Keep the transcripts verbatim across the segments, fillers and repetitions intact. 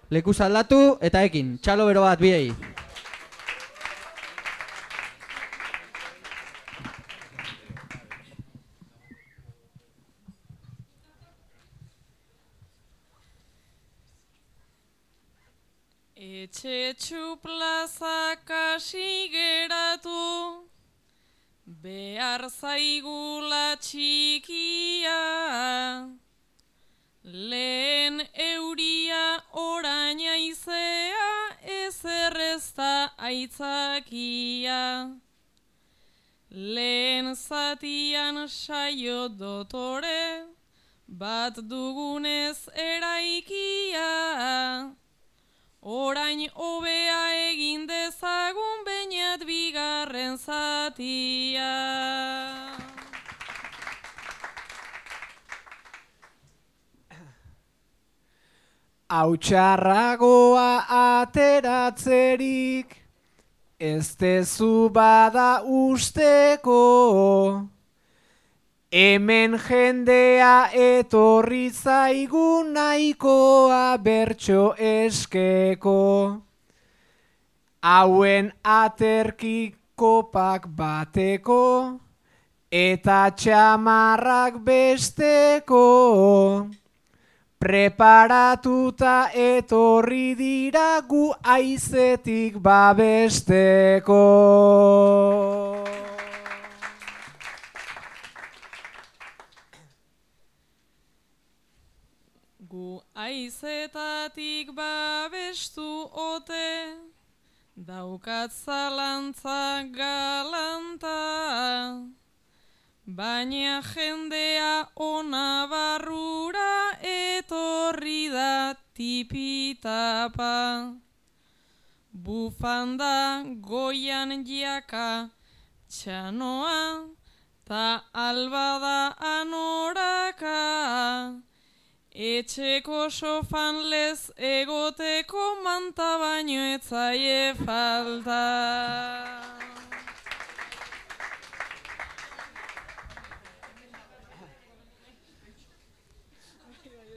Lekuz aldatu eta ekin, txalo bero bat biei. Etxetxu plazak hasi geratu, behar zaigula txikia, lehen euria orain aizea, ezer ez da aitzakia. Lehen zatian saio dotore, bat dugunez eraikia, orain hobea egin dezagun beinat bigarren zatia. Hautxarragoa ateratzerik, ez dezu bada usteko, hemen jendea etorri zaigu nahikoa bertso eskeko. Hauen aterki kopak bateko, eta txamarrak besteko. Preparatuta etorri dira gu haizetik babesteko. Gu haizetatik babestu ote, daukat zalantza galanta, baina jendea ona barrura etorri da tipitapa. Bufanda goian jaka txanoa, ta albada anoraka, etxeko sofan lez egoteko manta baino etzaie falta.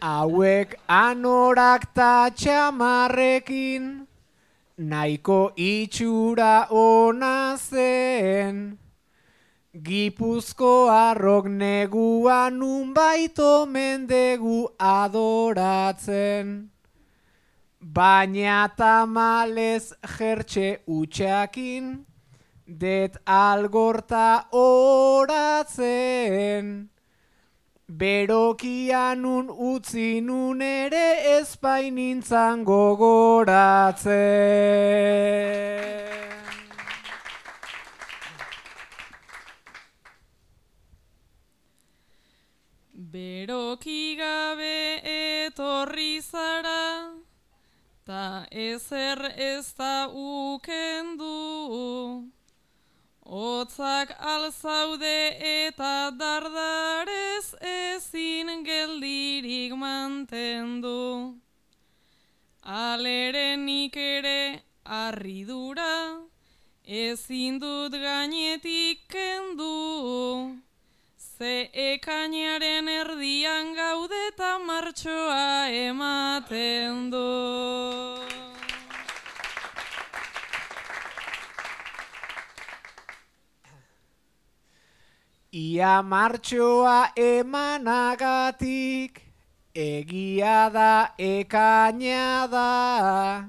Hauek anorak ta txamarrekin, nahiko itxura ona zen. Gipuzkoarrok negua nunbait omen degu adoratzen. Baina tamalez jertxe utxakin, det algorta oratzen. Berokianun utzi nun ere ezpainintzan gogoratzen. Beroki gabe etorri zara, ta ezer ez da ukendu. Hotzak alzaude eta dardarez ezin geldirik mantendu. Alere nik ere harridura, ezin dut gainetik kendu. Ze ekainaren erdian gaude eta martxoa ematen du. Ia martxoa emanagatik, egia da ekaina da.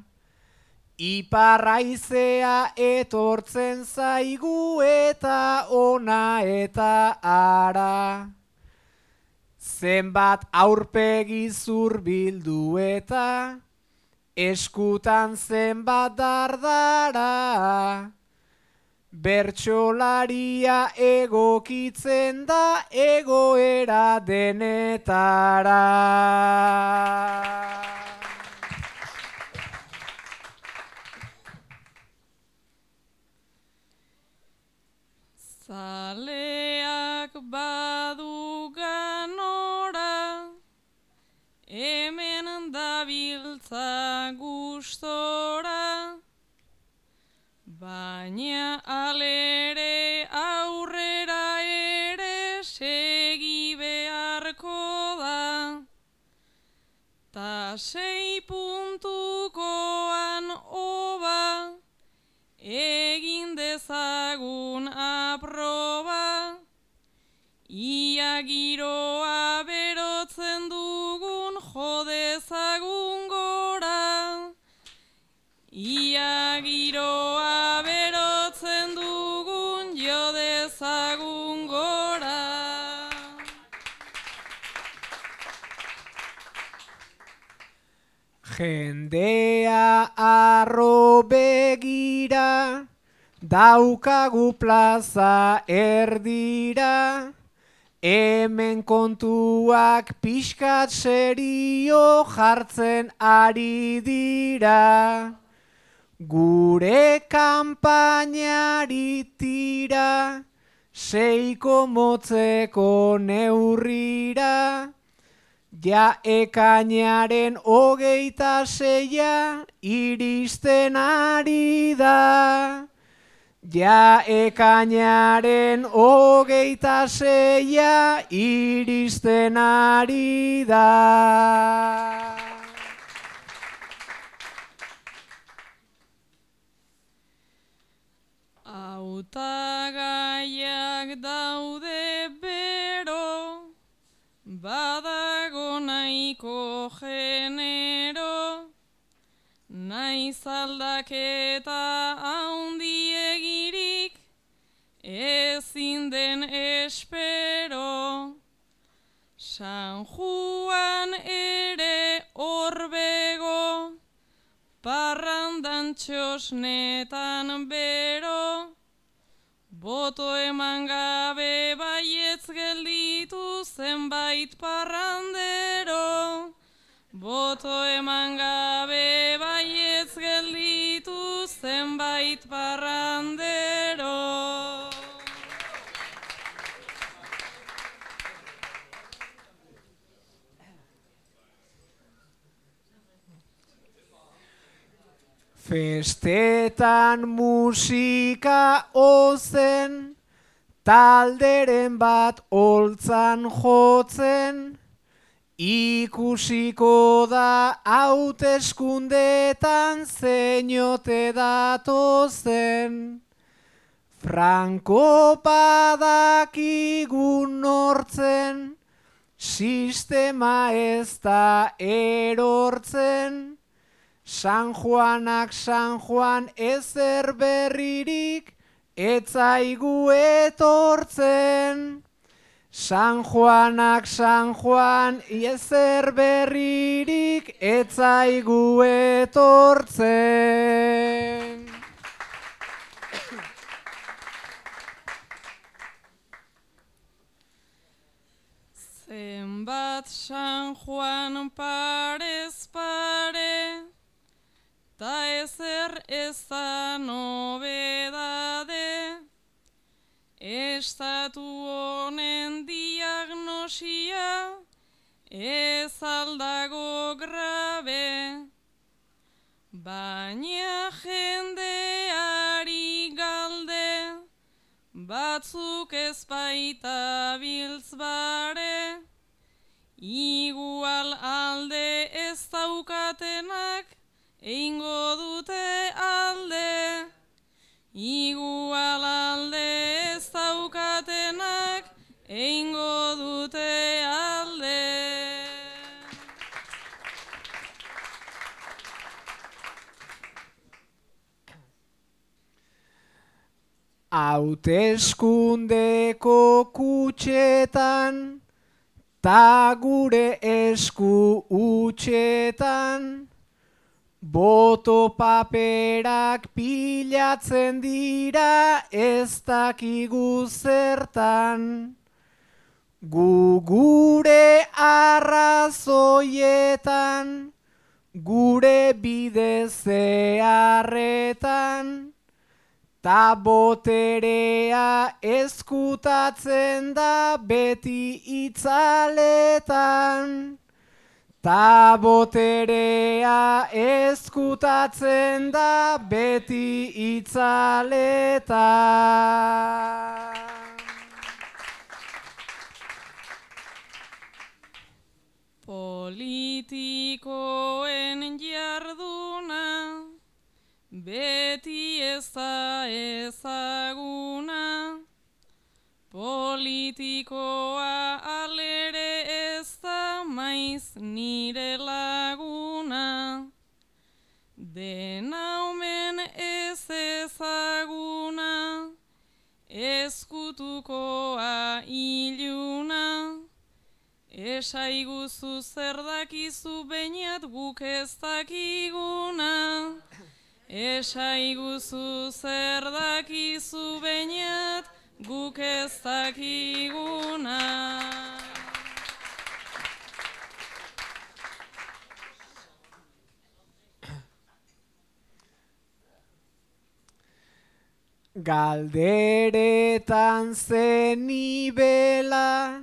Iparraizea etortzen zaigu eta ona eta ara. Zenbat aurpegi zurbildu eta eskutan zenbat dardara. Bertsolaria egokitzen da egoera denetara. Zaleak badu ganora, hemen dabiltza gustora, baina alere aurrera ere segi beharko da, ta sei puntu ia giroa berotzen dugun jo dezagun gora. Jendea arro begira, daukagu plaza erdira, hemen kontuak pixkat serio jartzen ari dira. Gure kanpainari tira, seiko motzeko neurrira, ja ekainaren hogeita seia iristen ari da. Ja ekainaren hogeita seia iristen ari da. Hautagaiak daude bero, badago nahiko genero, naiz aldaketa haundiegirik, ezin den espero. San Juan ere horbego, parrandan txosnetan bero, boto eman gabe baietz gelditu zenbait parrandero. Boto eman gabe baietz gelditu zenbait parrandero. Festetan musika ozen, talderen bat holtzan jotzen, ikusiko da hauteskundetan zeinote datozen. Franko badakigu nortzen, sistema ez da erortzen. San Juanak San Juan ezer berririk etzaigu etortzen. San Juanak San Juan ezer berririk etzaigu etortzen. Zenbat San Juan parez pare, ta ezer ez da nobedade, estatu honen diagnosia ez aldago grabe, baina jendeari galde, batzuk ez baita biltz bare, igual alde ez daukatenak, eingo dute alde, igual alde ez daukatenak, eingo dute alde. Hauteskundeko kutxetan, ta gure esku utxetan, boto paperak pilatzen dira ez dakigu zertan. Gu gure arrazoietan, gure bide zeharretan, ta boterea ezkutatzen da beti itzaletan. Ta boterea ezkutatzen da beti itzaletan. Politikoen jarduna beti ez da ezaguna, politikoa alere ez da maiz nire laguna, dena ezkutukoa iluna. Esaiguzu zer dakizu beñat guk ez dakiguna. Esaiguzu zer dakizu beñat guk ez dakiguna. Galderetan zenibela,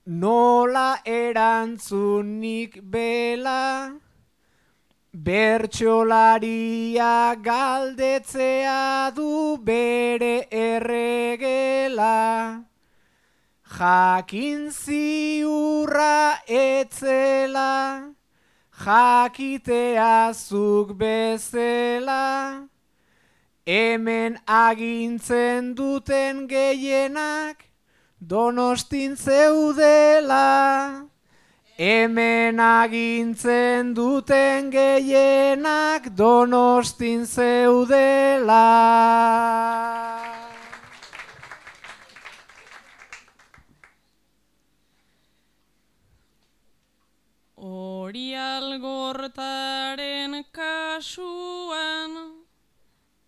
nola erantzunik bela, bertsolaria galdetzea du bere erregela. Jakin ziurra etzela, jakitea zuk bezela, hemen agintzen duten gehienak Donostin zeudela. Hemen agintzen duten gehienak Donostin zeudela. Hori algortaren kasuan,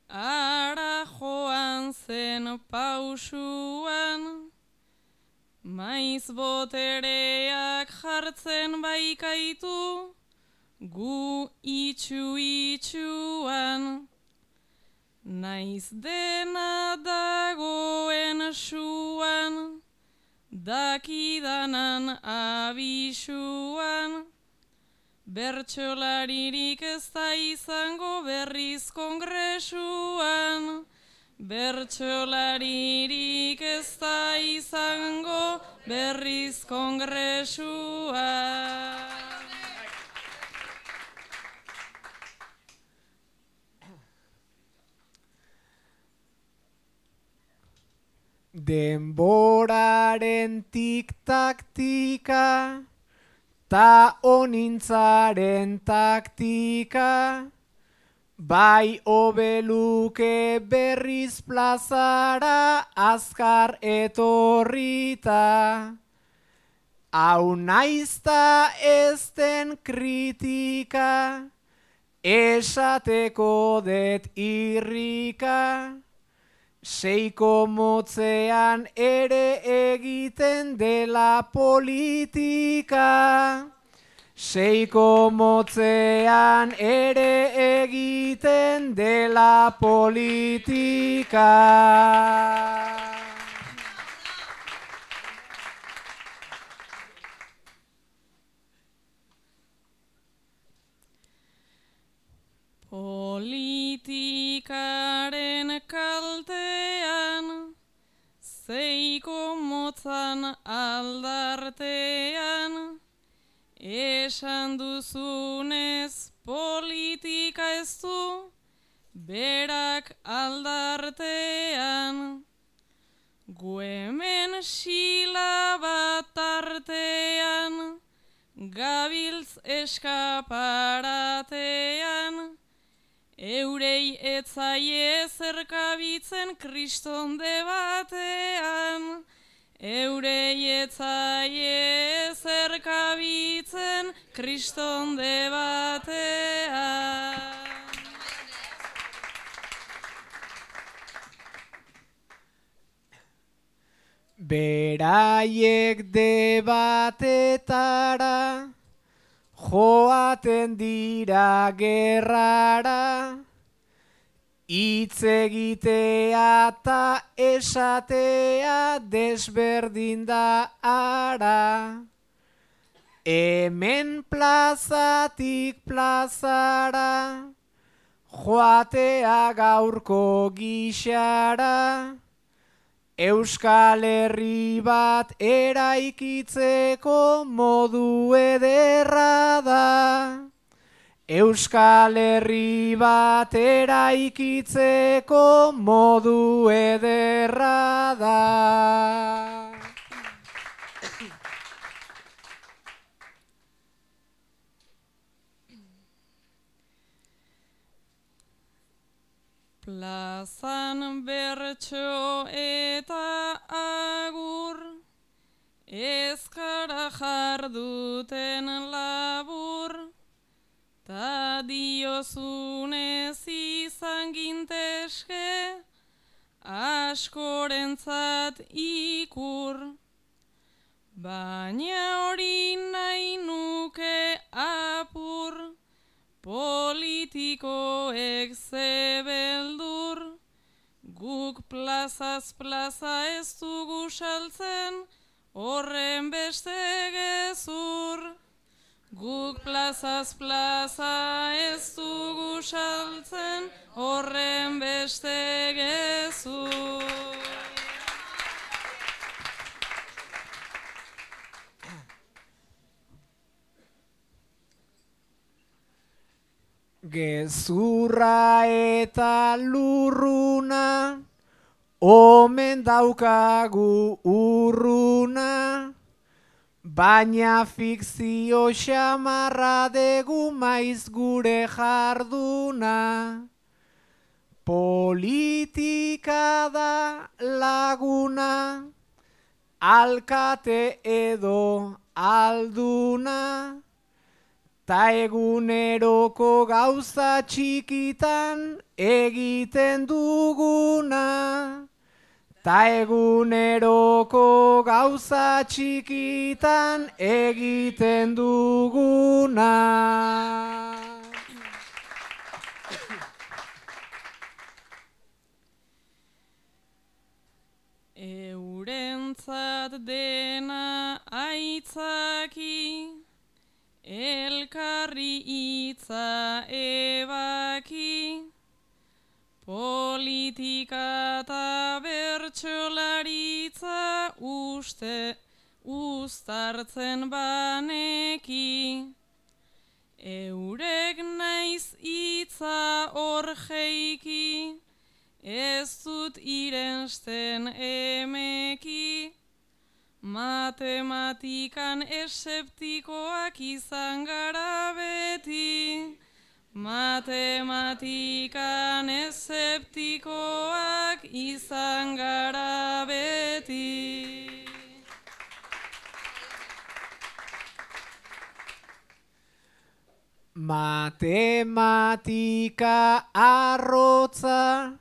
ara joan zen pausuan, maiz botereak jartzen baikaitu, gu itxu-itxuan. Naiz dena dagoen suan, dakidanan abisuan, bertsolaririk ez da izango berriz kongresuan. Bertsolaririk ez da izango berriz kongresuan. Denboraren tik-taktika, ta onintzaren taktika, bai obeluke berriz plazara azkar etorrita. Hau naizta ez den kritika, esateko det irrika, seiko motzean ere egiten dela politika. Seiko motzean ere egiten dela politika. Politikaren kaltean, seiko motzan aldartean, esan duzunez politika ez du berak aldartean. Gu hemen sila bat artean, gabiltz eskaparatean, eurei etzaie zerkabitzen kriston debatean. Eurei etzaie zerkabitzen kriston debatean. Beraiek debatetara, joaten dira gerrara, hitz egitea ta esatea desberdin da ara. Hemen plazatik plazara, joatea gaurko gixara, Euskal Herri bat eraikitzeko modu ederra da. Euskal Herri bat eraikitzeko modu ederra da. Plazan Bertan bertso eta agur, ezkara jarduten labur, ta diozunez izan ginteske, askorentzat ikur. Baina hori nahi nuke apur, politikoek zebeldur, guk plazaz plaza ez dugu saltzen, horren beste gezur. Guk plazaz plaza ez dugu saltzen, horren beste gezur. Gezurra eta lurruna, omen daukagu urruna, baina fikzio xamarra degu maiz gure jarduna. Politika da laguna, alkate edo alduna, ta eguneroko gauza txikitan egiten duguna. Ta eguneroko gauza txikitan egiten duguna. Eurentzat dena aitzaki, elkarri hitza ebaki, politika eta bertsolaritza uste uztartzen baneki. Eurek naiz hitza hor jeiki, ez dut irensten emeki. Matematikan eseptikoak izan gara beti, matematikan eseptikoak izan gara beti. Matematika arrotza,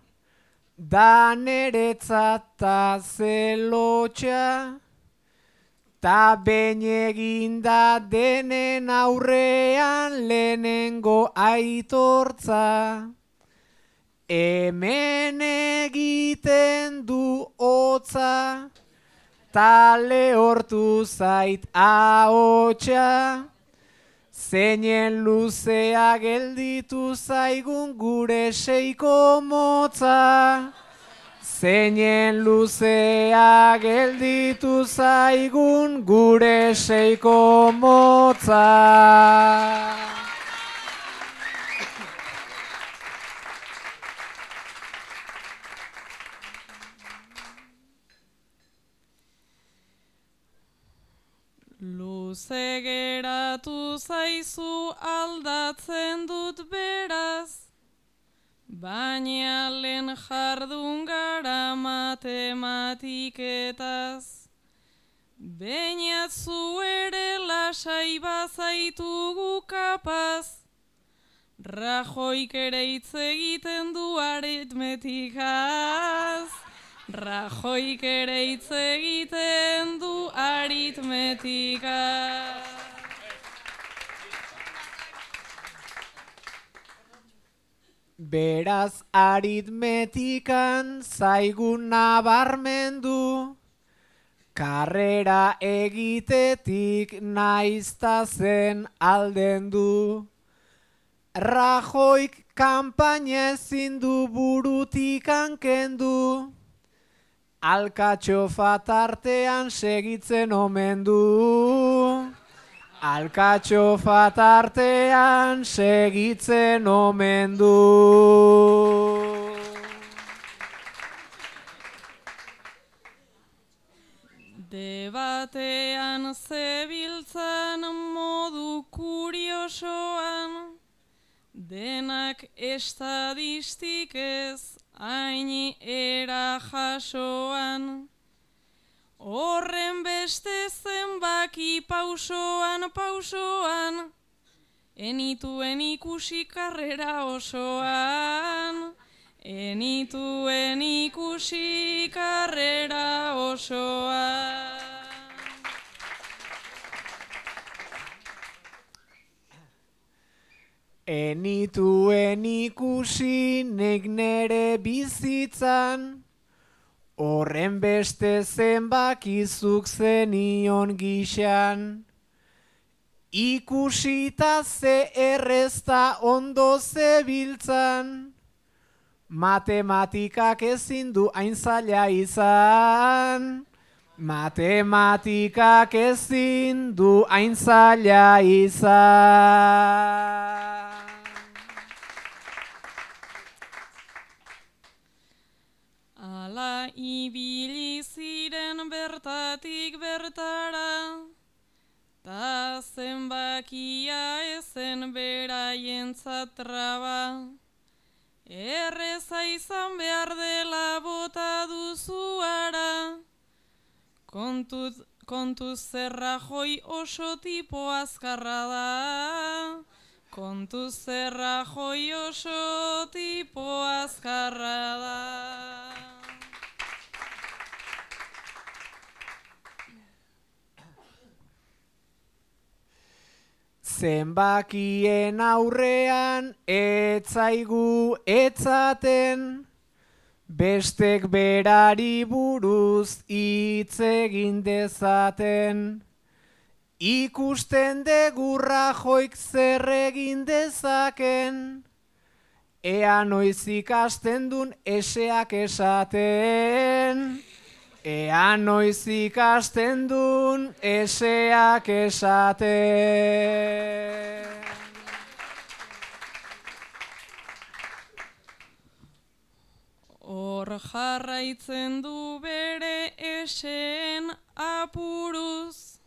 da neretzat ta zelotxa, ta behin eginda denen aurrean lehenengo aitortza. Hemen egiten du hotza, ta lehortu zait ahotsa, zeinen luzea gelditu zaigun gure seiko motza. Zeinen luzea gelditu zaigun gure seiko motza. Luze geratu zaizu aldatzen dut beraz, baina lehen jardun gara matematiketaz. Bainatzu ere lasai bazaitugu kapaz, Rajoik ere hitz egiten du aritmetikaz. Rajoik ere hitz egiten du aritmetikaz. Beraz aritmetikan zaigun nabarmendu, karrera egitetik naizta zen aldendu. Rajoik kanpaina ezin du burutikan kendu, alkatxofa tartean segitzen omen du. Alkatxofa tartean segitzen omen du. Debatean zebiltzan modu kuriosoan, denak estadistikez hain era jasoan. Horren beste zenbaki pausoan, pausoan, enituen ikusi karrera osoan. Enituen ikusi karrera osoan. Enituen ikusi nik nere bizitzan, horren beste zenbakizuk zenion gixan. Ikusita ze errezta ondo zebiltzan, matematikak ezin du hain zaila izan. Matematikak ezin du hain zaila izan. Ala ibili ziren bertatik bertara, ta zenbakia ezen beraientzat traba. Erreza izan behar dela bota duzu ara, kontuz, kontuz zerra joi oso tipo azkarra da. Kontuz zerra joi oso tipo azkarra da. Zenbakien aurrean etzaigu etzaten, bestek berari buruz hitz egin dezaten. Ikusten degu Rajoyk zer egin dezaken, ea noiz ikasten dun eseak esaten. Ea noiz ikasten dun eseak esaten. Hor jarraitzen du bere eseen apuruz,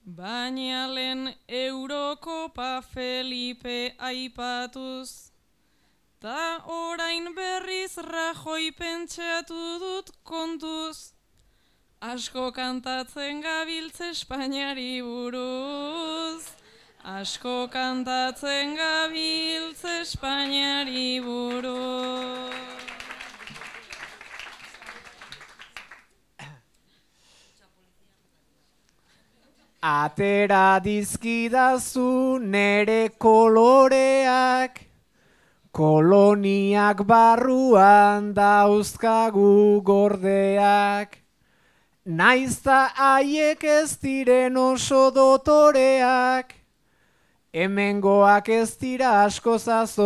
baina lehen Eurokopa Felipe aipatuz. Ta orain berriz Rajoy pentsatu dut kontuz, asko kantatzen gabiltz Espainiari buruz. Asko kantatzen gabiltz Espainiari buruz. Atera dizkidazu nere koloreak, koloniak barruan dauzkagu gordeak. Naizta haiek ez diren oso dotoreak, hemengoak ez dira asko zazobeak.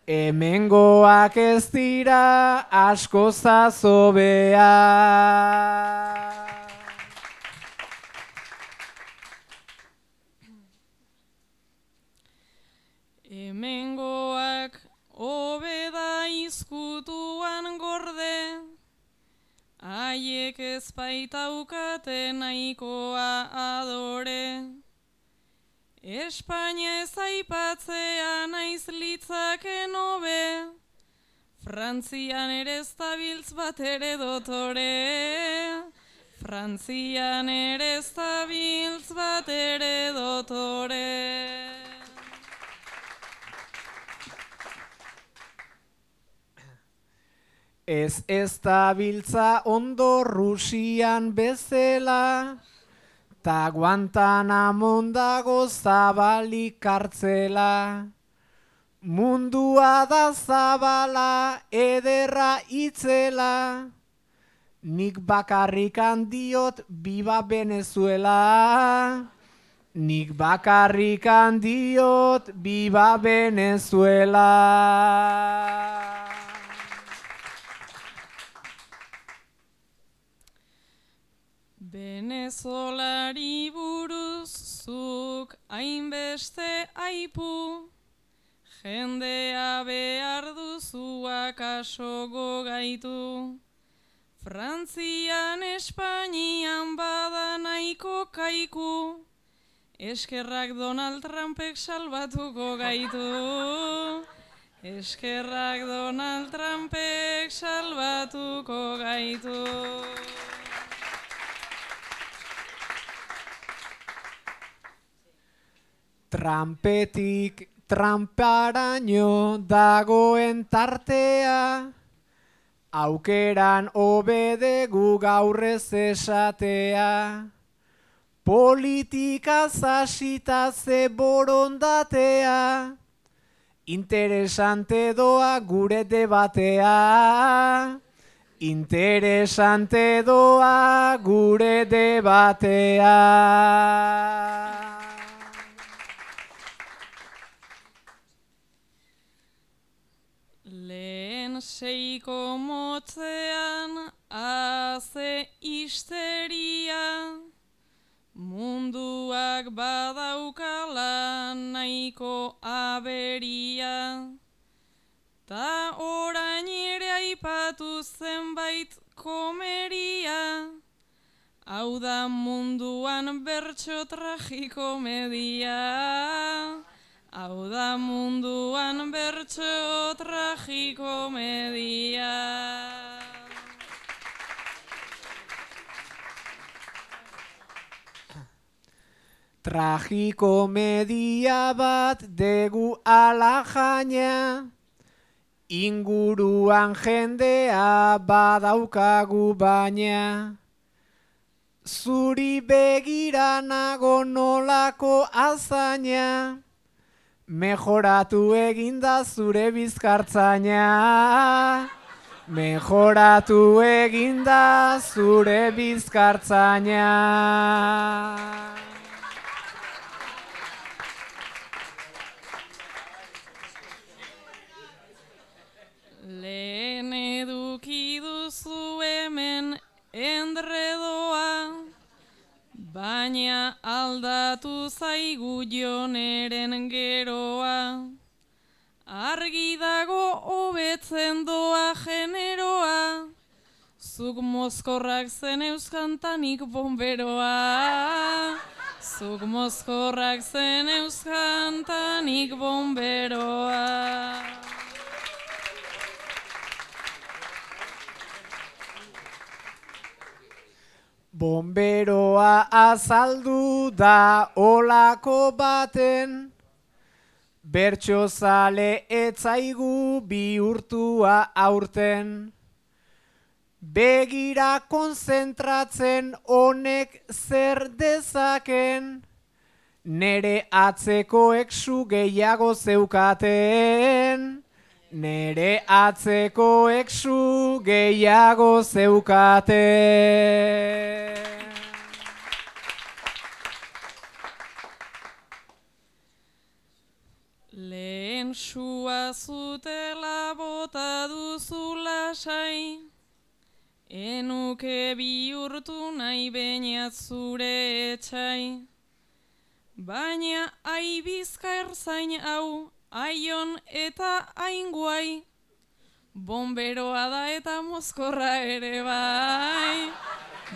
Hemengoak ez dira asko zazobeak. Hemengoak hobeda izkutuan gorde, haiek ez baitaukate nahikoa adore. Espainia ez aipatzea naiz litzaken hobe, Frantzian ere ez dabiltz bat ere dotore. Frantzian ere ez dabiltz bat ere dotore. Ez ez dabiltza ondo Rusian bezela, ta Guantanamon dago zabalik kartzela. Mundua da zabala ederra itzela, nik bakarrikan diot biba Venezuela. Nik bakarrikan diot biba Venezuela. Venezolari buruz zuk hainbeste aipu, jendea behar duzu akaso gogaitu. Frantzian, Espainian bada nahiko kaiku, eskerrak Donald Trumpek salbatuko gaitu. Eskerrak Donald Trumpek salbatuko gaitu. Trumpetik tramparaino dagoen tartea, aukeran obedegu gaurrez esatea. Politika zasita ze borondatea, interesante doa gure debatea. Interesante doa gure debatea. Lehen seiko motzean haze histeria, munduak badaukala nahiko aberia, ta orain ere aipatu zenbait komeria, hau da munduan bertso tragikomedia. Hau da munduan bertso tragikomedia. Tragikomedia bat degu ala jaina, inguruan jendea badaukagu baina. Zuri begira nago nolako azaina, mejoratu eginda zure bizkartzaina. Mejoratu eginda zure bizkartzaina. Lehen eduki duzu hemen endredoa, baina aldatu zaigu Joneren geroa. Argi dago hobetzen doa generoa, zuk mozkorrak zen euskantanik bomberoa. Zuk mozkorrak zen euskantanik bomberoa. Bomberoa azaldu da olako baten, bertsozale etzaigu bihurtua aurten. Begira konzentratzen honek zer dezaken, nere atzekoek su gehiago zeukaten. Nere atzekoek su gehiago zeukaten. Lehen sua zutela bota duzu lasai, enuke bihurtu nahi bainat zure etxai. Baina aibizka erzain hau, aion eta ainguai, bomberoa da eta mozkorra ere bai.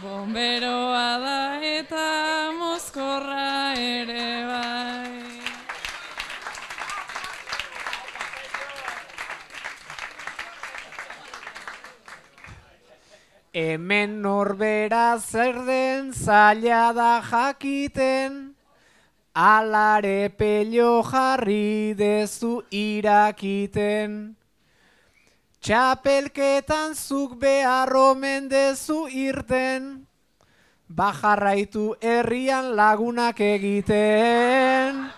Bomberoa da eta mozkorra ere bai. Hemen norbera zer den zaila da jakiten, alare pelio jarri dezu irakiten. Txapelketan zuk behar omen dezu irten, bajarraitu herrian lagunak egiten.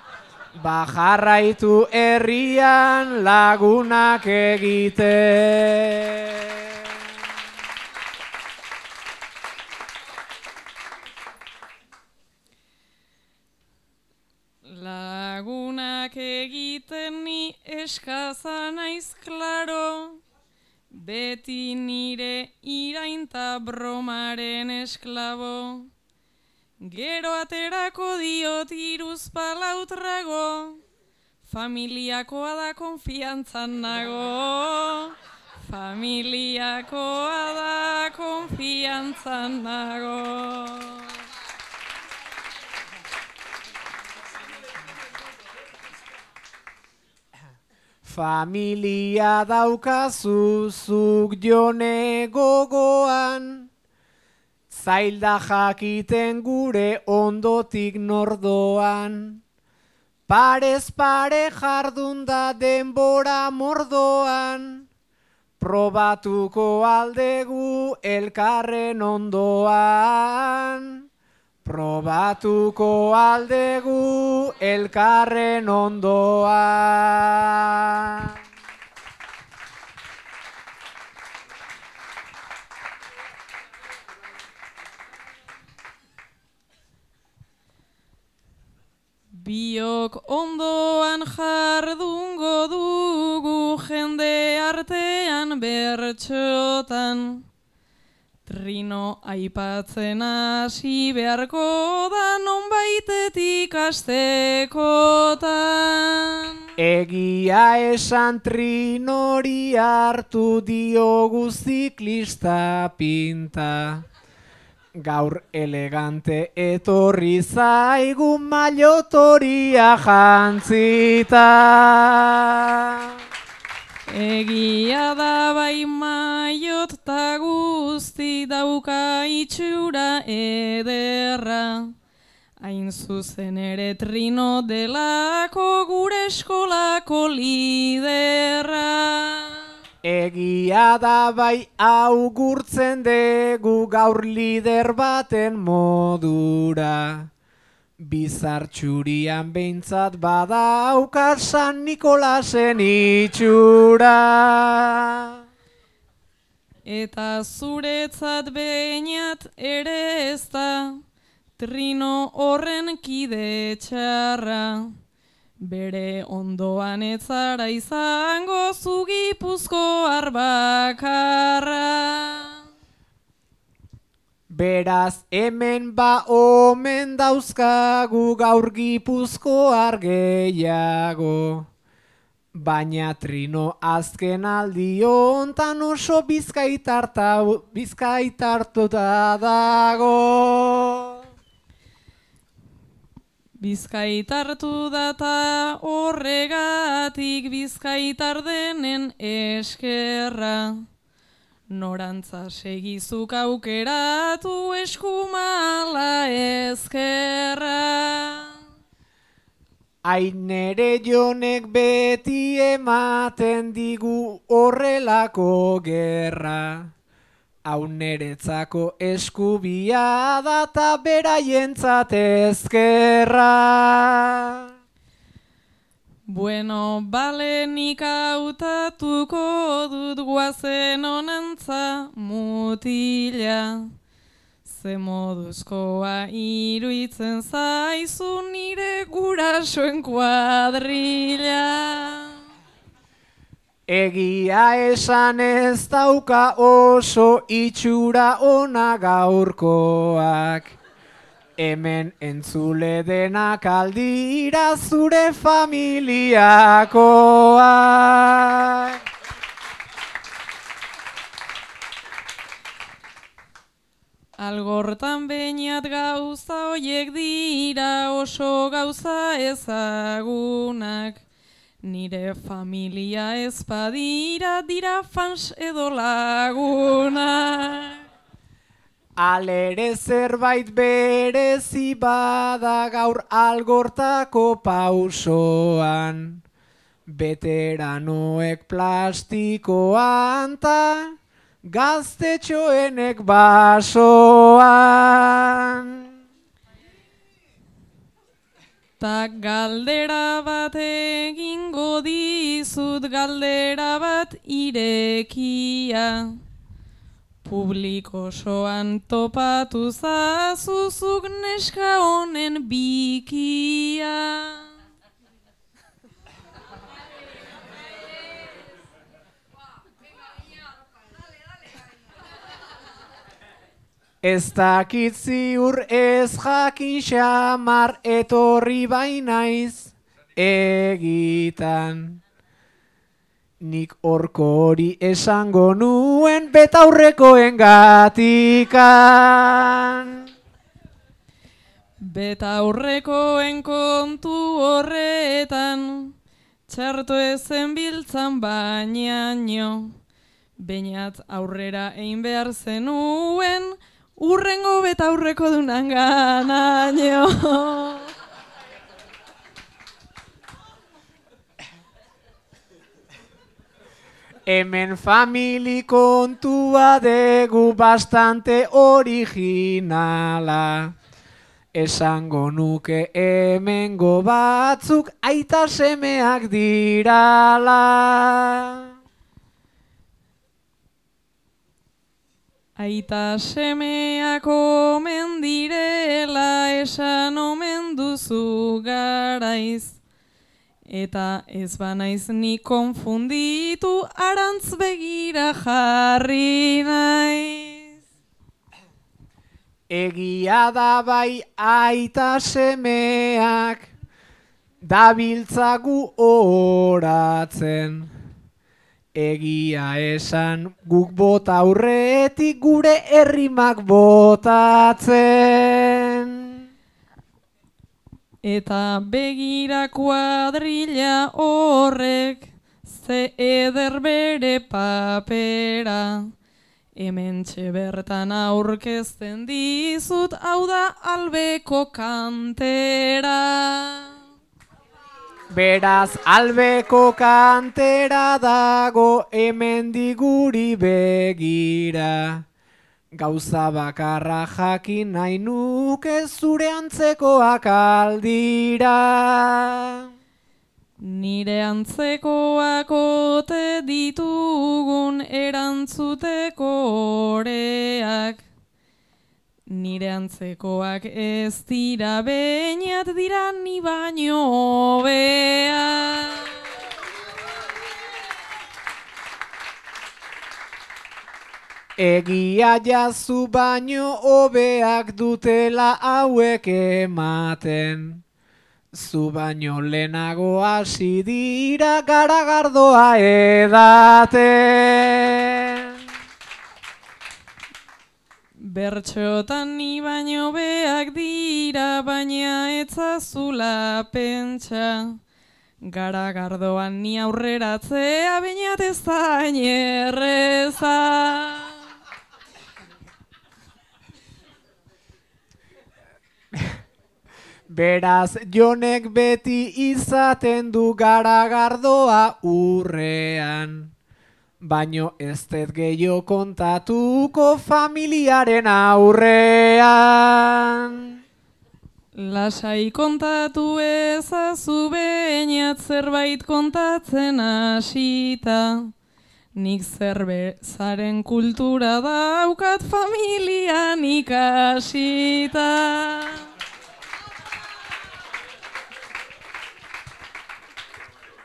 Bajarraitu herrian lagunak egiten. Lagunak egiten ni eskaza naiz klaro, beti nire irainta bromaren esklabo. Gero aterako diot iruz palautrago, familiakoa da konfiantzan nago. Familiakoa da konfiantzan nago. Familia daukazu zuk Jone gogoan, zailda jakiten gure ondotik nordoan. Parez pare jardun da denbora mordoan, probatuko aldegu elkarren ondoan. Probatuko aldegu elkarren ondoan. Biok ondoan jardungo dugu jende artean bertxotan. Trino aipatzen hasi beharko da nonbaitetik astekotan. Egia esan Trinori hartu diogu ziklista pinta. Gaur elegante etorri zaigu mailotoria jantzita. Egia da bai maiot ta guzti dauka itxura ederra. Hain zuzen ere Trino delako gure eskolako liderra. Egia da bai augurtzen dugu gaur lider baten modura. Bizartxurian behintzat badauka San Nikolasen itxura. Eta zuretzat behinat ere ez da Trino horren kide txarra. Bere ondoan etzara izango zu Gipuzkoar bakarra. Beraz hemen ba omen dauzkagu gaur Gipuzkoar gehiago. Baina Trino azken aldi hontan oso bizkaitartuta dago. Bizkaitartu data horregatik bizkaitar denen eskerra. Norantza segizuk aukeratu eskumala ezkerra. Ainere Jonek beti ematen digu horrelako gerra. Hau neretzako eskubia da ta beraientzat ezkerra. Bueno, bale nik hautatuko dut guazen honantza mutila. Ze moduzkoa iruitzen zaizu nire gurasoen kuadrilla. Egia esan ez dauka oso itxura ona gaurkoak. Hemen entzule denak aldira zure familiakoak. Algortan behinat gauza hoiek dira oso gauza ezagunak. Nire familia ez badira dira fans edo lagunak. Alere zerbait berezi bada gaur algortako pausoan. Veteranoek plastikoan ta gaztetxoenek basoan. Ta galdera bat egingo dizut, galdera bat irekia. Publiko osoan topatu zazuzuk neska honen bikia. Ez dakit ziur ez jakin xamar etorri bainaiz egitan. Nik horko hori esango nuen betaurrekoen gatikan. Betaurrekoen kontu horretan, Txarto ezen biltzan bainaino, bainat aurrera egin behar zenuen, urrengo beta aurreko dunan ganaino. Hemen famili kontua degu bastante originala. Esango nuke hemengo batzuk aita semeak dirala. Aita semeak omen direla esan omen duzu garaiz. Eta ez banaiz ni konfunditu arantz begira jarri naiz. Egia da bai aita semeak dabiltzagu oratzen. Egia esan guk bota aurretik gure errimak botatzen. Eta begira kuadrilla horrek ze eder bere papera. Hementxe bertan aurkezten dizut, hau da albeko kantera. Beraz albeko kantera dago hemendik guri begira. Gauza bakarra jakin nahi nuke zure antzekoak aldira. Nire antzekoak ote ditugun erantzuteko oreak. Nire antzekoak ez dira beñat dira ni baino hobeak. Egia jazu baino hobeak dutela hauek ematen. Zu baino lehenago hasi dira garagardoa edaten. Bertxotan ni baino beak dira, baina etzazula pentsa. Garagardoan ni aurreratzea bainat ez da hain erreza. Beraz, Jonek beti izaten du garagardoa urrean. Baino ez dut gehiago kontatuko familiaren aurrean. Lasai kontatu ezazu beñat zerbait kontatzen hasita. Nik zerbezaren kultura daukat familian ikasita.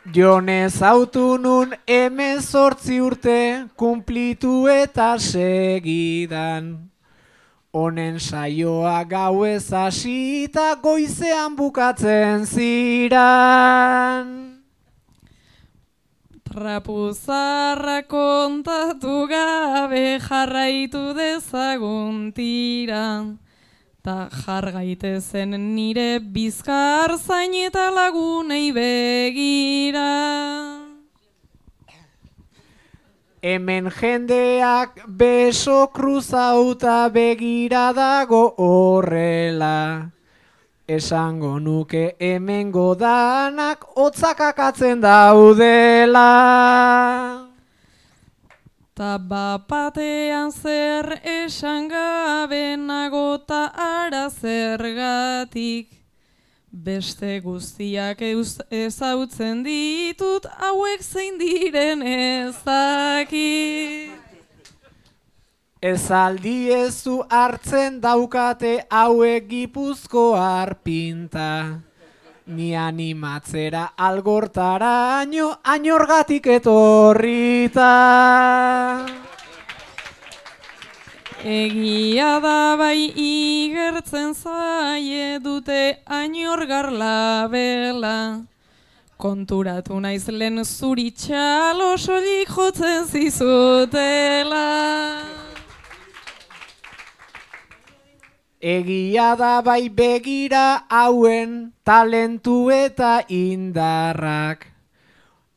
Jonez autu nun hemezortzi urte kumplitu eta segidan. Honen saioa gauez hasita goizean bukatzen ziran. Trapuzarra kontatu gabe jarraitu dezagun tira. Ta jar gaitezen nire bizkar zain eta lagunei begira. Hemen jendeak beso kruzauta begira dago horrela. Esango nuke hemengo danak hotzakakatzen daudela. Ta bapatean zer esan gabe nago ta ara zergatik. Beste guztiak ezautzen ditut hauek zein diren ezakit. Ez aldiezu hartzen daukate hauek Gipuzkoar pinta. Ni animatzera algortaraino añorgatik etorrita. Egia da bai igertzen zaie dute añorgar labela. Konturatu naiz lehen zuri txalo soilik jotzen zizutela. Egia da bai begira hauen talentu eta indarrak.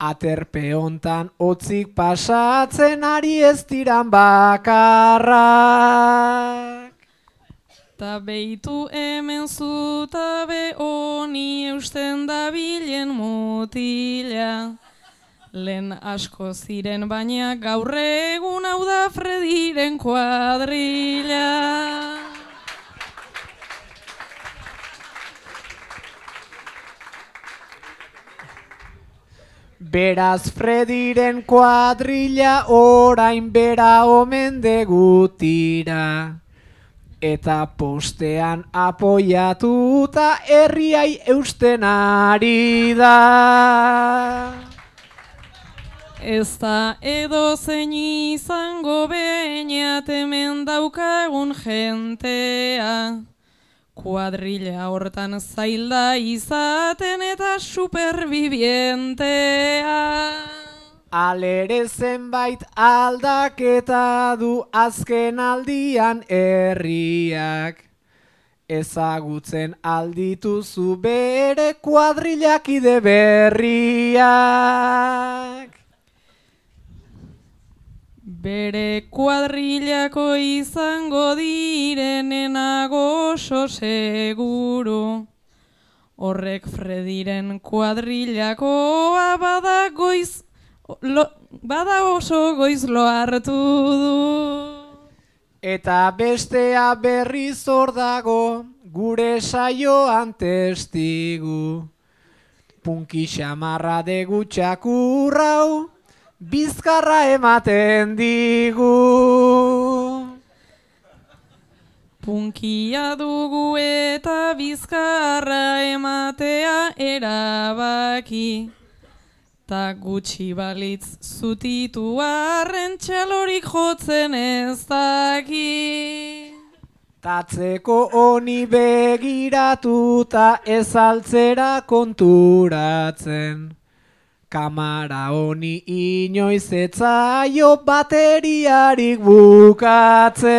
Aterpe hontan otzik pasatzen ari ez diran bakarrak. Ta beitu hemen zutabe honi eusten dabilen mutila. Lehen asko ziren baina gaur egun hau da Frediren kuadrilla. Beraz Frediren kuadrilla orain bera omen degutira. Eta postean apoiatuta herriai eusten ari da. Ez da edo zein izango behinat hemen daukagun jentea. Kuadrilla hortan zailda izaten eta superbibientea. Alere zenbait aldaketa du azken aldian herriak. Ezagutzen aldituzu bere kuadrillakide berriak. Bere kuadrillako izango direnenago oso seguru. Horrek Frediren kuadrillakoa bada goiz, lo, bada oso goiz lo hartu du. Eta bestea berriz hor dago gure saioan testigu. Punki xamarra degu txakurrau, bizkarra ematen digu. Punkia dugu eta bizkarra ematea erabaki. Ta gutxi balitz zutitu arren txalorik jotzen ez daki. Tatzeko honi begiratuta ez altzera konturatzen. Kamara honi inoiz etzaio bateriarik bukatzen.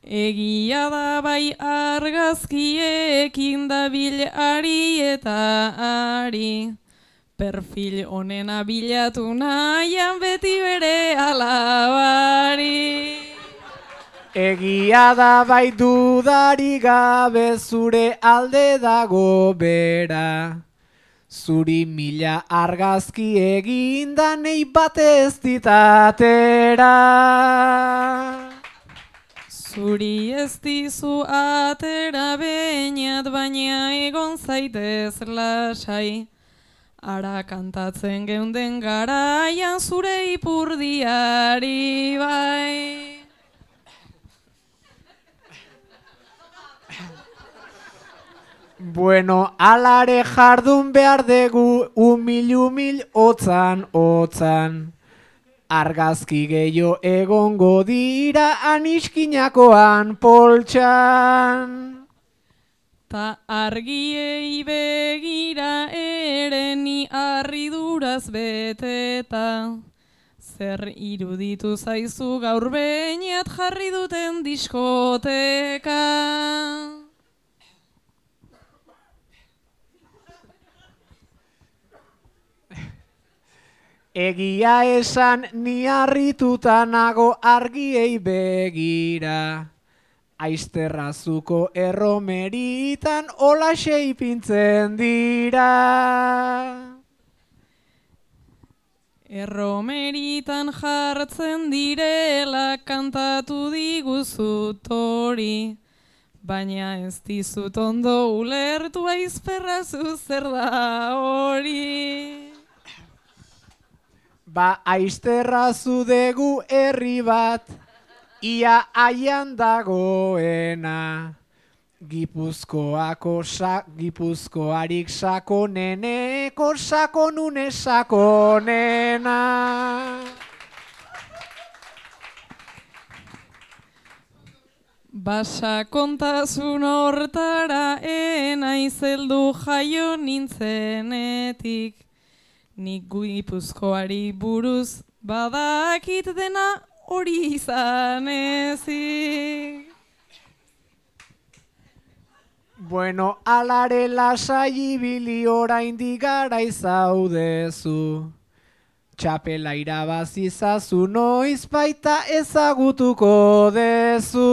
Egia da bai argazkiekin dabil ari eta ari. Perfil honena bilatu nahian beti bere alabari. Egia da bai dudari gabe zure alde dago bera. Zuri mila argazki eginda nei batez ditatera. Zuri ez dizu atera behinat baina egon zaitez lasai. Ara kantatzen geunden garaian zure ipurdiari bai. Bueno, alare jardun behar dugu umil-umil otzan otzan. Argazki gehiago egongo dira aniskinakoan poltsan. Ta argiei begira ere ni harriduraz beteta. Zer iruditu zaizu gaur behinat jarri duten diskoteka. Egia esan ni harrituta nago argiei begira. Aizterrazuko erromeritan olaxe ipintzen dira. Erromeritan jartzen direla kantatu diguzut hori. Baina ez dizut ondo ulertu aizperrazu zer da hori. Ba aizterrazu degu herri bat, ia aian dagoena. Gipuzkoako sa, Gipuzkoarik sakoneneko sakonune sakonena. Basa kontasun hortara enaiz heldu jaio nintzenetik. Nik Gipuzkoari buruz badakit dena hori izan ezik. Bueno, alare lasai ibili oraindik garai zaudezu. Txapela irabazi zazu noiz baita ezagutuko dezu.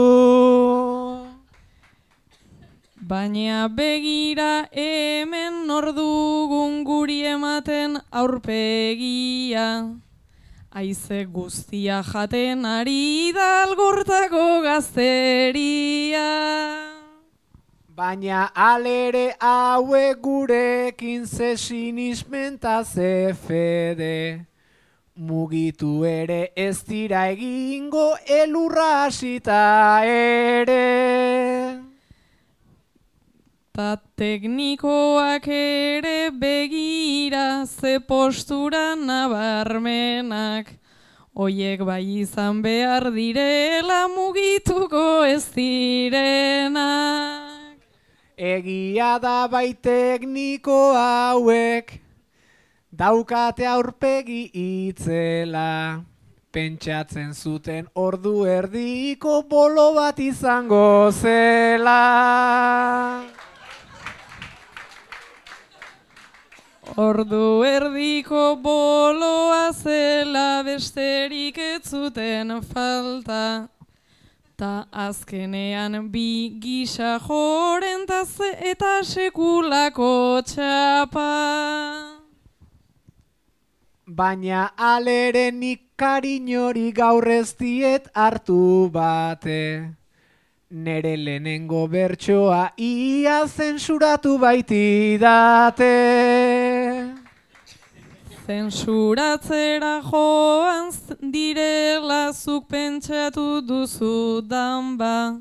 Baina begira hemen nor dugun guri ematen aurpegia. Haize guztia jaten ari da algortako gazteria. Baina alere hauek gurekin ze sinismenta ze fede. Mugitu ere ez dira egingo elurra hasita ere. Ta teknikoak ere begira ze postura nabarmenak. Oiek bai izan behar direla mugituko ez direnak. Egia da bai tekniko hauek daukate aurpegi itzela. Pentsatzen zuten ordu erdiko bolo bat izango zela. Ordu erdiko boloa zela besterik ez zuten falta. Ta azkenean bi gisa jorentaz eta sekulako txapa. Baina alere nik kariñori gaur ez diet hartu bate. Nere lehenengo bertsoa ia zensuratu baitidate. Zensuratzera joan direla zuk pentsatu duzudan ba.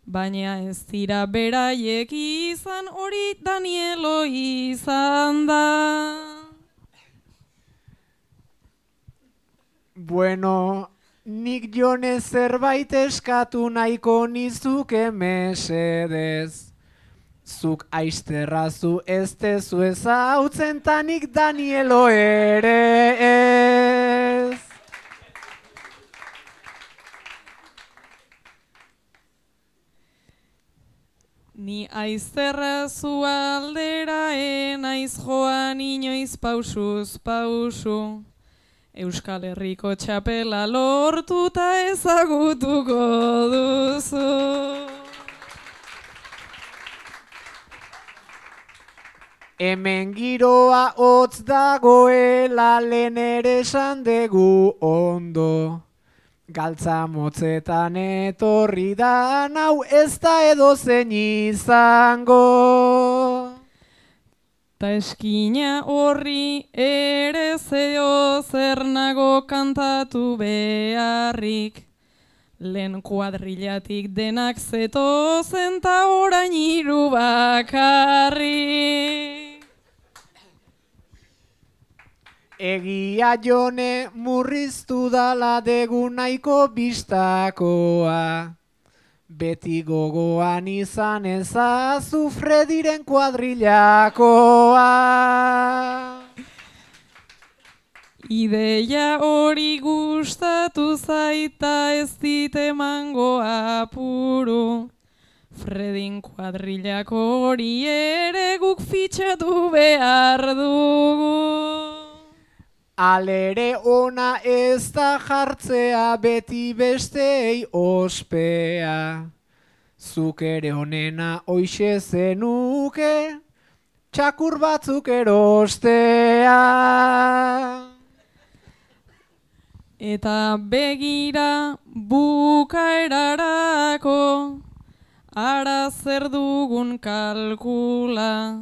Baina ez dira beraiek izan hori Danielo izan da. Bueno, nik jone zerbait eskatu nahiko nizuke mesedez. Zuk aizterrazu ez tezu ezautzen ta nik Danielo ere ez. Ni aizterrazu aldera enaiz joan inoiz pausuz pausu. Euskal Herriko txapela lortuta ezagutuko duzu. Hemen giroa hotz dagoela lehen ere esan dugu ondo. Galtza motzetan etorri da hau ez da edozein izango. Ta eskina horri ere zeo zer nago kantatu beharrik. Lehen kuadrillatik denak zetozen ta orain hiru bakarrik. Egia jone murriztu dala degu nahiko bistakoa. Beti gogoan izan ezazu Frediren kuadrillakoa. Ideia hori gustatu zaita ez dit emango apuru. Fredin kuadrillako hori ere guk fitxatu behar dugu. Alere ona ez da jartzea beti bestei ospea. Zuk ere onena hoixe zenuke, txakur batzuk erostea. Eta begira bukaerarako, ara zer dugun kalkula.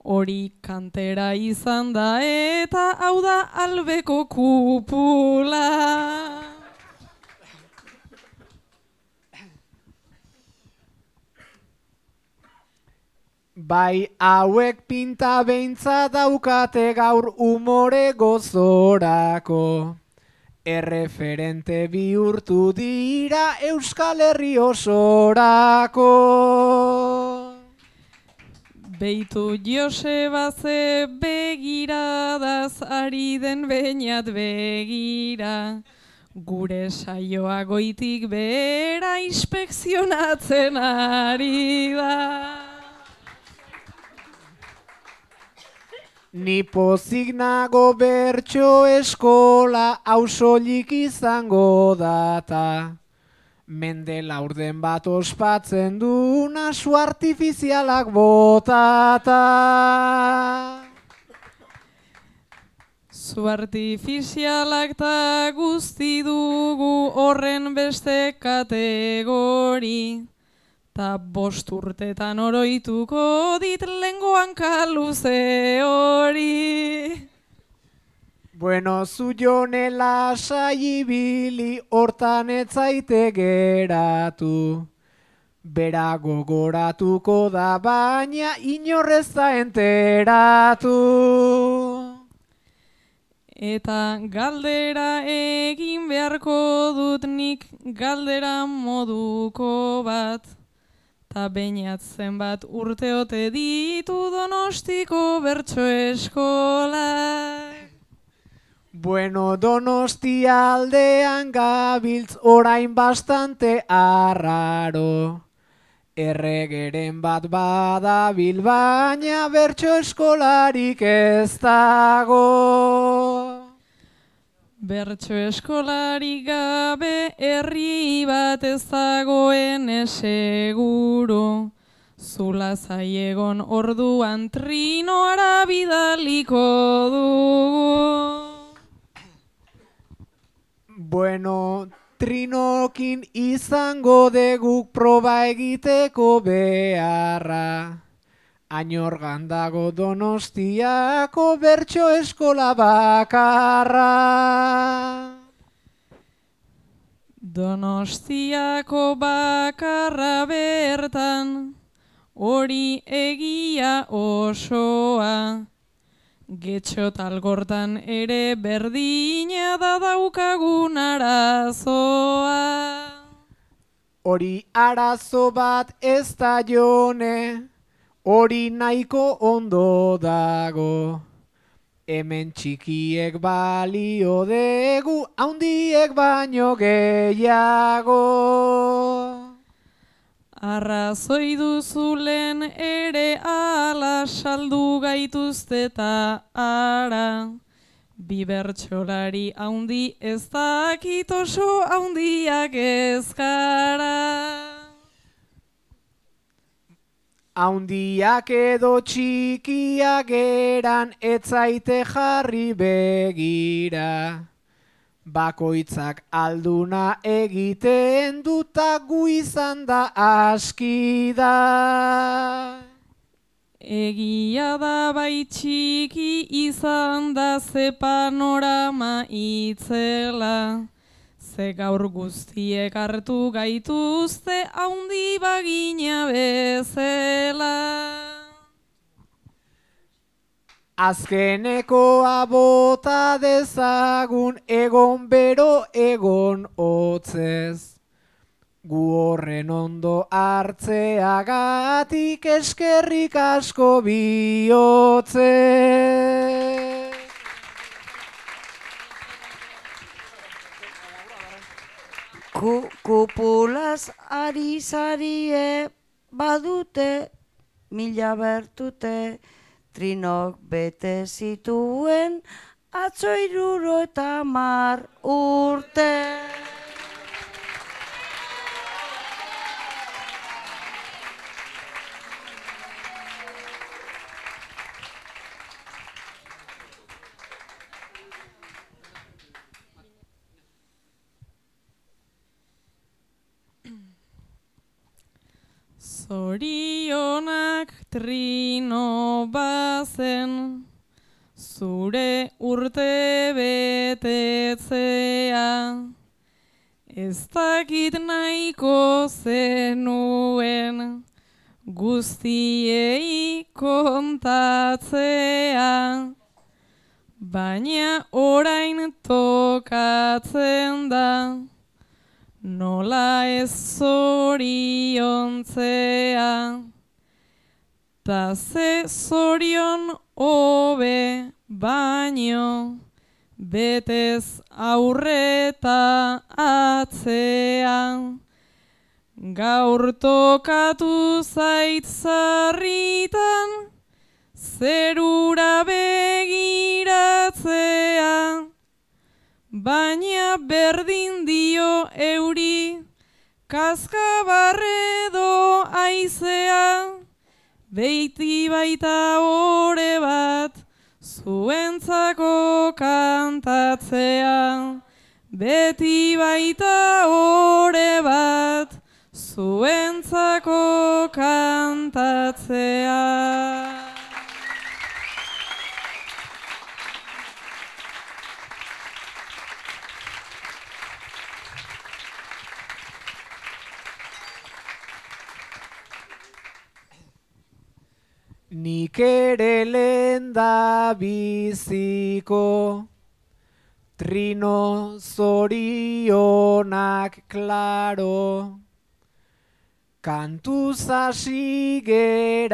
Hori kantera izan da eta hau da albeko kupula. Bai hauek pinta beintza daukate gaur umore gozorako. Erreferente bihurtu dira Euskal Herri osorako. Beitu Joseba ze begiradaz ari den beinat begira. Gure saioa goitik behera inspekzionatzen ari da. Ni pozik nago bertso eskola hau soilik izango data. Mende laurden bat ospatzen du nasu artifizialak botata. Zu artifizialak ta guzti dugu horren beste kategori. Ta bost urtetan oroituko dit lengoan kaluze hori. Bueno, zu jone lasai ibili hortan etzaite geratu. Bera gogoratuko da baina inorrez da enteratu. Eta galdera egin beharko dut nik galdera moduko bat. Ta bainat zenbat urteote ditu Donostiko bertso eskolak. Bueno, Donostia aldean gabiltz orain bastante arraro. Erregeren bat badabil baina bertso eskolarik ez dago. Bertso eskolari gabe herri bat ez dagoen seguru. Zula zaiegon orduan trinoara bidaliko dugu. Bueno, trinokin izango deguk proba egiteko beharra. Ainorgan dago Donostiako bertso eskola bakarra. Donostiako bakarra bertan, hori egia osoa. Getxo talgortan ere berdina da daukagun arazoa. Hori arazo bat ez da jone, hori nahiko ondo dago. Hemen txikiek balio degu, haundiek baino gehiago. Arrazoi duzulen ere ala saldu gaituzte eta ara. Bi bertsolari haundi ez dakit oso haundiak ez gara. Haundiak edo txikiak eran etzaite jarri begira. Bakoitzak alduna egiten duta gu izan da aski da. Egia da bai txiki izan da ze panorama itzela. Ze gaur guztiek hartu gaituzte haundi bagina bezala. Azkenekoa bota dezagun egon bero egon hotzez. Gu horren ondo hartzeagatik eskerrik asko bihotzez. Ku, kupulaz ari zarie badute mila bertute. Trinok bete zituen atzo hiruro eta hamar urte. Zorionak Trino bazen, zure urte betetzea. Ez dakit nahiko zenuen, guztiei kontatzea. Baina orain tokatzen da, nola ez zoriontzea. Ta ze zorion hobe baino, betez aurreta atzean. Gaur tokatu zait zarritan, zerura be baina berdin dio euri, kaskabarredo aizea, beiti baita ore bat, zuentzako kantatzea. Beti baita ore bat, zuentzako kantatzea. Nik ere lenda biziko, trino zorionak klaro, kantuz hasi geranetik,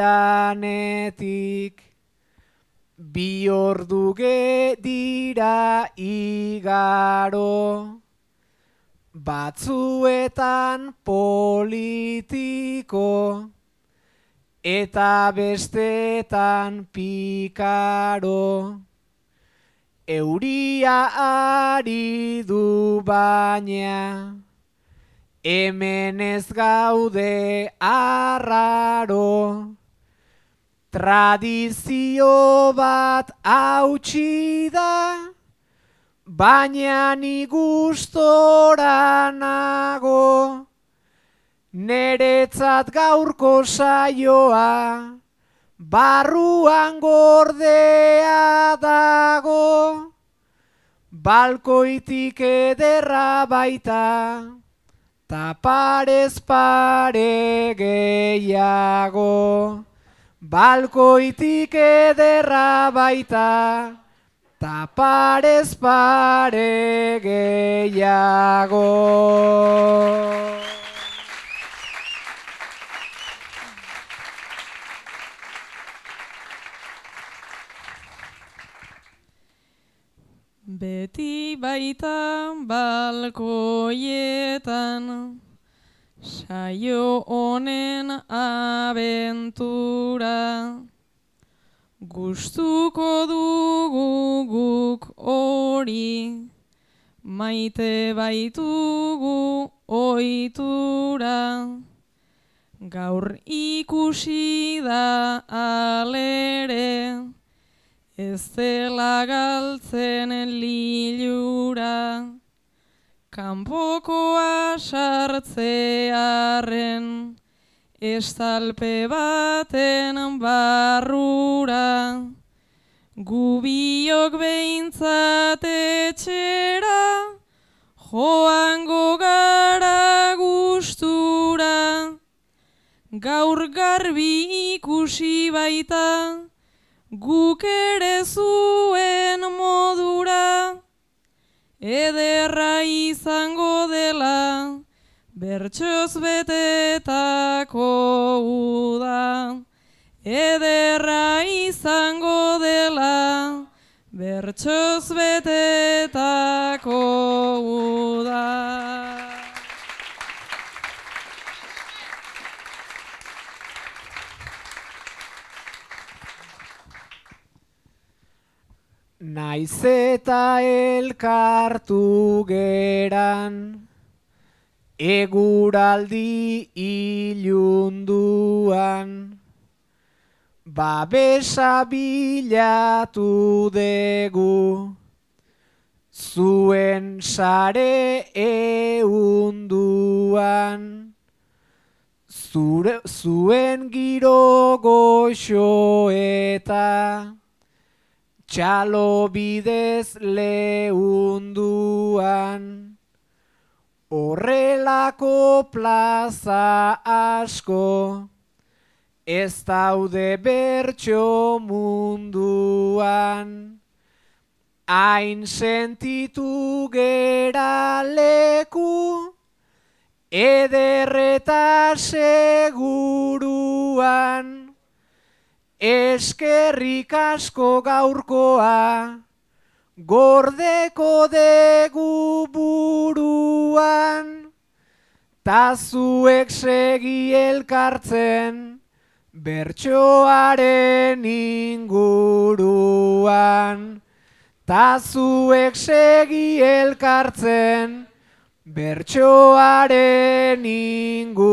bi ordu dira igaro, batzuetan politiko, eta bestetan pikaro. Euria ari du baina, hemen ez gaude arraro. Tradizio bat hautsi da, baina ni gustora nago. Neretzat gaurko saioa, barruan gordea dago. Balkoitik ederra baita, ta parez pare gehiago. Balkoitik ederra baita, ta parez pare gehiago. Beti baita balkoietan, saio honen abentura. Gustuko dugu guk hori, maite baitugu ohitura. Gaur ikusi da alere, ez dela galtzen lilura, kanpokoa sartzearen, estalpe baten barrura. Gubiok behintzat etxera, joango gara gustura. Gaur garbi ikusi baita, guk ere zuen modura, ederra izango dela, bertsoz betetako uda. Ederra izango dela, bertsoz betetako uda. Naiz eta elkartu geran, eguraldi ilunduan, babesa bilatu dugu, zuen sare eunduan, zure, zuen giro goxo eta txalo bidez leunduan. Horrelako plaza asko, ez daude bertso munduan. Hain sentitu gera leku, ederreta seguruan. Eskerrik asko gaurkoa, gordeko degu buruan. Ta zuek segi elkartzen, bertsoaren inguruan. ta zuek segi elkartzen, bertsoaren inguruan.